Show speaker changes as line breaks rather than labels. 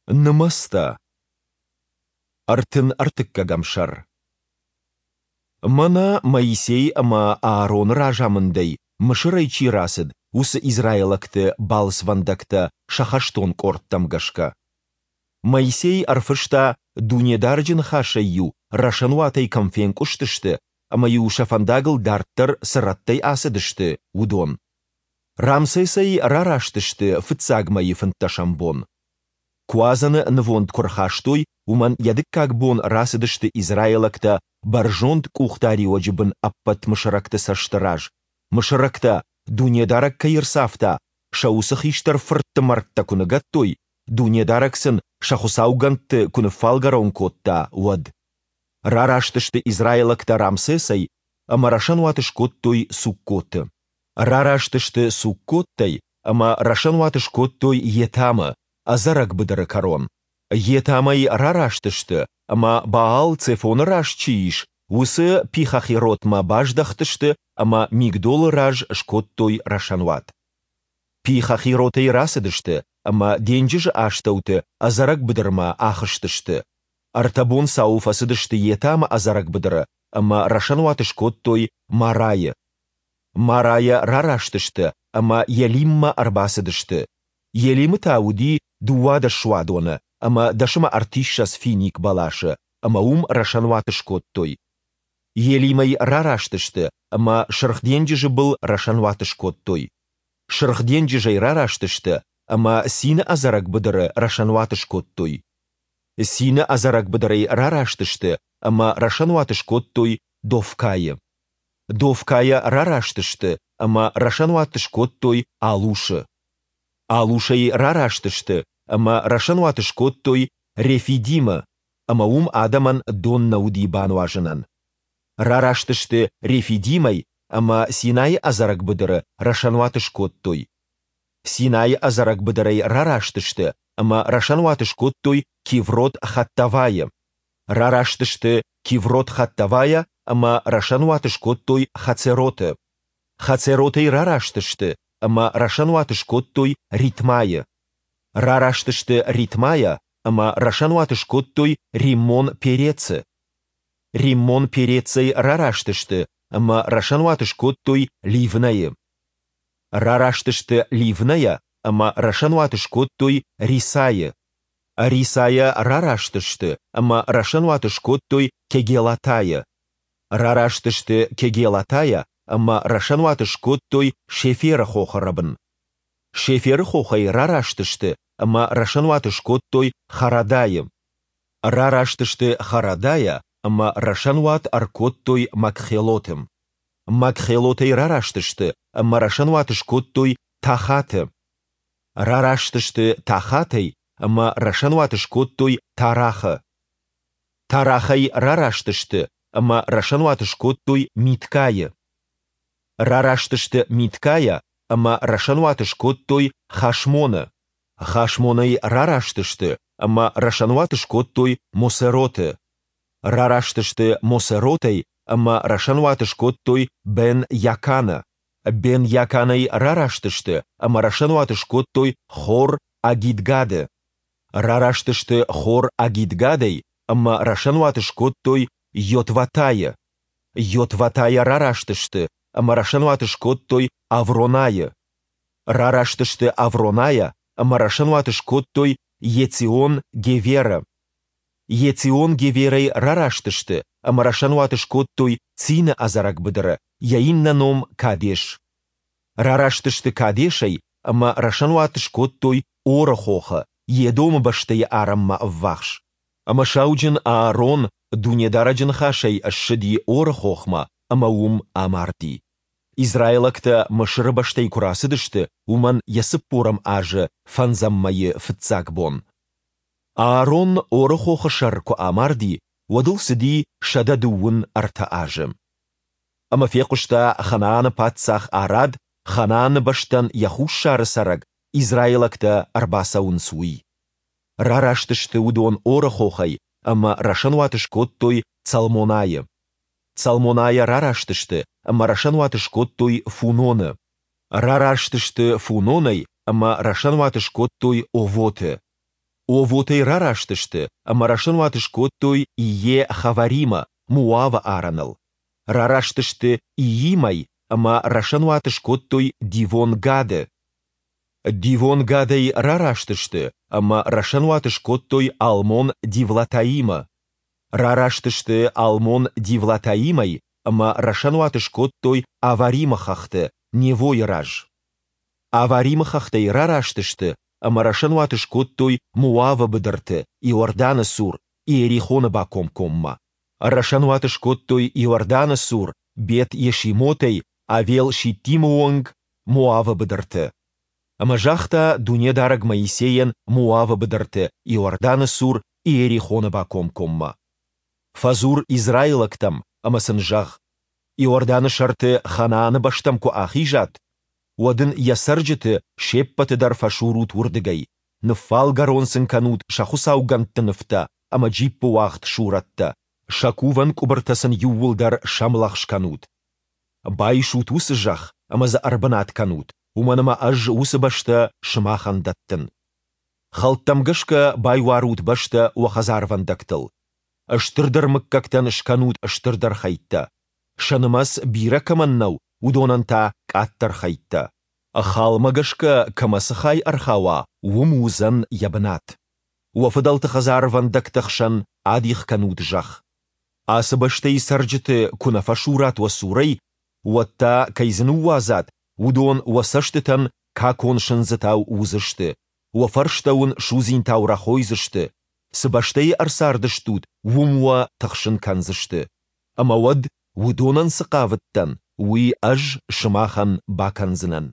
Нымӕцтӕ. 33-ӕм сӕр. Мӕнӕ Моисей ӕмӕ Аароны разамындӕй Мысырӕй чи рацыд, уыцы израилӕгты балцвӕндӕгтӕ сӕ хӕстон къордтӕм гӕсгӕ. Моисей ӕрфыста, Дунедарӕджы ныхасӕй-иу рӕсӕнуатӕй кӕм фенкъуыстысты ӕмӕ-иу сӕ фӕндагыл дарддӕр цы рӕттӕй ацыдысты, уыдон. Рамсесӕй рараст сты фыццаг мӕйы фынддӕсӕм бон. Куадзӕны нывонд куы рхастой, уымӕн йӕ дыккаг бон рацыдысты израилӕгтӕ бӕрзонд къухдариуӕджы бын ӕппӕт мысырӕгты цӕсты раз, мысырӕгтӕ, Дунедарӕг кӕй ӕрцавта, сӕ уыцы хистӕр фыртты мӕрдтӕ куы ныгӕдтой, Дунедарӕг сын сӕ хуыцаугӕндты куы ныффалгӕрон кодта, уӕд. Рараст сты израилӕгтӕ Рамсесӕй ӕмӕ рӕсӕнуат скодтой Суккоты. Рараст сты Суккоттӕй ӕмӕ рӕсӕнуат скодтой Етамы, ӕдзӕрӕг быдыры кӕрон. Етамӕй рараст сты ӕмӕ Баал-Цефоны раз чи ис, уыцы Пихахиротмӕ баздӕхтысты ӕмӕ Мигдолы раз скодтой рӕсӕнуат. Пихахиротӕй рацыдысты ӕмӕ денджызы астӕуты ӕдзӕрӕг быдырмӕ ахызтысты. Ӕртӕ бонцауы фӕцыдысты Етамы ӕдзӕрӕг быдыры ӕмӕ рӕсӕнуат скодтой Марайы. Марайӕ рараст сты ӕмӕ Елиммӕ ӕрбацыдысты. Елимы та уыди 12 суадоны ӕмӕ 130 финик бӕласы, ӕмӕ уым рӕсӕнуат скодтой. Елимӕй рараст сты ӕмӕ Сырх денджызы был рӕсӕнуат скодтой. Сырх денджызӕй рараст сты ӕмӕ Цины ӕдзӕрӕг быдыры рӕсӕнуат скодтой. Цины ӕдзӕрӕг быдырӕй рараст сты ӕмӕ рӕсӕнуат скодтой Дофкайы. Дофкайӕ рараст сты ӕмӕ рӕсӕнуат скодтой Алушы. Алушӕй рараст сты ӕмӕ рӕсӕнуат скодтой Рефидимы, ӕмӕ уым адӕмӕн дон нӕ уыди бануазынӕн. Рараст сты Рефидимӕй ӕмӕ Синайы ӕдзӕрӕг быдыры рӕсӕнуат скодтой. Синайы ӕдзӕрӕг быдырӕй рараст сты ӕмӕ рӕсӕнуат скодтой Киврот-Хаттавайы. Рараст сты Киврот-Хаттавайӕ ӕмӕ рӕсӕнуат скодтой Хацероты. Хацеротӕй рараст сты ӕмӕ рӕсӕнуат скодтой Ритмайы. Рараст сты Ритмайӕ ӕмӕ рӕсӕнуат скодтой Риммон-Перецы. Риммон-Перецӕй рараст сты ӕмӕ рӕсӕнуат скодтой Ливнӕйы. Рараст сты Ливнӕйӕ ӕмӕ рӕсӕнуат скодтой Рисайы. Рисайӕ рараст сты ӕмӕ рӕсӕнуат скодтой Кегелатайы. Рараст сты Кегелатайӕ ӕмӕ рӕсӕнуат скодтой Шеферы хохы рӕбын. Шеферы хохӕй рараст сты ӕмӕ рӕсӕнуат скодтой Харадайы. Рараст сты Харадайӕ ӕмӕ рӕсӕнуат ӕркодтой Макхелоты. Макхелотӕй рараст сты ӕмӕ рӕсӕнуат скодтой Тахаты. Рараст сты Тахатӕй ӕмӕ рӕсӕнуат скодтой Тарахы. Тарахӕй рараст сты ӕмӕ рӕсӕнуат скодтой Миткайы. Рараст сты Миткайӕ ӕмӕ рӕсӕнуат скодтой Хашмоны. Хашмонӕй рараст сты ӕмӕ рӕсӕнуат скодтой Мосероты. Рараст сты Мосеротӕй ӕмӕ рӕсӕнуат скодтой Бен-Яканы. Бен-Яканӕй рараст сты ӕмӕ рӕсӕнуат скодтой Хор-Агидгады. Рараст сты Хор-Агидгадӕй ӕмӕ рӕсӕнуат скодтой Йотватайы. Йотватайӕ рараст сты ӕмӕ рӕсӕнуат скодтой Авронайы. Рараст сты Авронайӕ ӕмӕ рӕсӕнуат скодтой Ецион-Геверы. Ецион-Геверӕй рараст сты ӕмӕ рӕсӕнуат скодтой Цины ӕдзӕрӕг быдыры, йӕ иннӕ ном Кадеш. Рараст сты Кадешӕй ӕмӕ рӕсӕнуат скодтой Оры хохы, Едомы бӕстӕйы арӕнмӕ ӕввахс. Ӕмӕ сауджын Аарон Дунедарӕджы ныхасӕй ссыди Оры хохмӕ ӕмӕ уым амарди. Израилӕгтӕ Мысыры бӕстӕй куы рацыдысты, уымӕн йӕ цыппорӕм азы фӕндзӕм мӕйы фыццаг бон. Аарон Оры хохы сӕр куы амарди, уӕд ыл цыди 123 азы. Ӕмӕ фехъуыста Ханааны паддзах Арад, Ханааны бӕстӕн йӕ хуссары цӕрӕг израилӕгтӕ ӕрбацӕуынц, уый. Рараст сты уыдон Оры хохӕй ӕмӕ рӕсӕнуат скодтой Цалмонайы. Цалмонайӕ рараст сты ӕмӕ рӕсӕнуат скодтой Фуноны. Рараст сты Фунонӕй ӕмӕ рӕсӕнуат скодтой Овоты. Овотӕй рараст сты ӕмӕ рӕсӕнуат скодтой Ие-Хаваримы, Моавы арӕныл. Рараст сты Иимӕй ӕмӕ рӕсӕнуат скодтой Дивон-Гады. Дивон-Гадӕй рараст сты ӕмӕ рӕсӕнуат скодтой Алмон-Дивлатаимы. Рараст сты Алмон-Дивлатаимӕй ӕмӕ рӕсӕнуат скодтой Аваримы хӕхты, Невойы раз. Аваримы хӕхтӕй рараст сты ӕмӕ рӕсӕнуат скодтой Моавы быдырты, Иорданы цур, Иерихоны бакомкоммӕ. Рӕсӕнуат скодтой Иорданы цур, Бет-Йешимотӕй Авел-Шиттимы онг, Моавы быдырты. Ӕмӕ загъта Дунедарӕг Моисейӕн Моавы быдырты, Иорданы цур, Иерихоны бакомкоммӕ. Фӕдзур израилӕгтӕм ӕмӕ сын зӕгъ: Иорданы сӕрты Ханааны бӕстӕм куы ахизат, уӕд ын йӕ цӕрджыты се ппӕты дӕр фӕсурут уырдыгӕй, ныффалгӕрон сын кӕнут сӕ хуыцаугӕндты нывтӕ ӕмӕ джиппыуагъд сурӕттӕ, сӕ кувӕн къуыбыртӕ сын иууылдӕр сӕмлӕгъз кӕнут. Байсут уыцы зӕхх ӕмӕ дзы ӕрбынат кӕнут, уымӕн ӕмӕ Ӕз уыцы бӕстӕ сымахӕн дӕттын. Хӕлттӕм гӕсгӕ байуарут бӕстӕ уӕ хӕдзарвӕндӕгтыл. Стырдӕр мыггӕгтӕн скӕнут стырдӕр хӕйттӕ, сӕ нымӕц бирӕ кӕмӕн нӕу, уыдонӕн та, къаддӕр хӕйттӕ. Халмӕ гӕсгӕ кӕмӕ цы хай ӕрхауа, уым уыдзӕн йӕ бынат. Уӕ фыдӕлты хӕдзарвӕндӕгты хсӕн адих кӕнут зӕхх. Ацы бӕстӕйы цӕрджыты куы нӕ фӕсурат уӕ цурӕй, уӕд та, кӕй дзы ныууадзат, уыдон уӕ цӕстытӕн какон сындзытау уыдзысты, уӕ фӕрстӕ уын судзинтау рӕхойдзысты, цы бӕстӕйы ӕрцардыстут, уым уӕ тыхсын кӕндзысты. Ӕмӕ уӕд, уыдонӕн цы хъавыдтӕн, уый ӕз сымахӕн бакӕндзынӕн.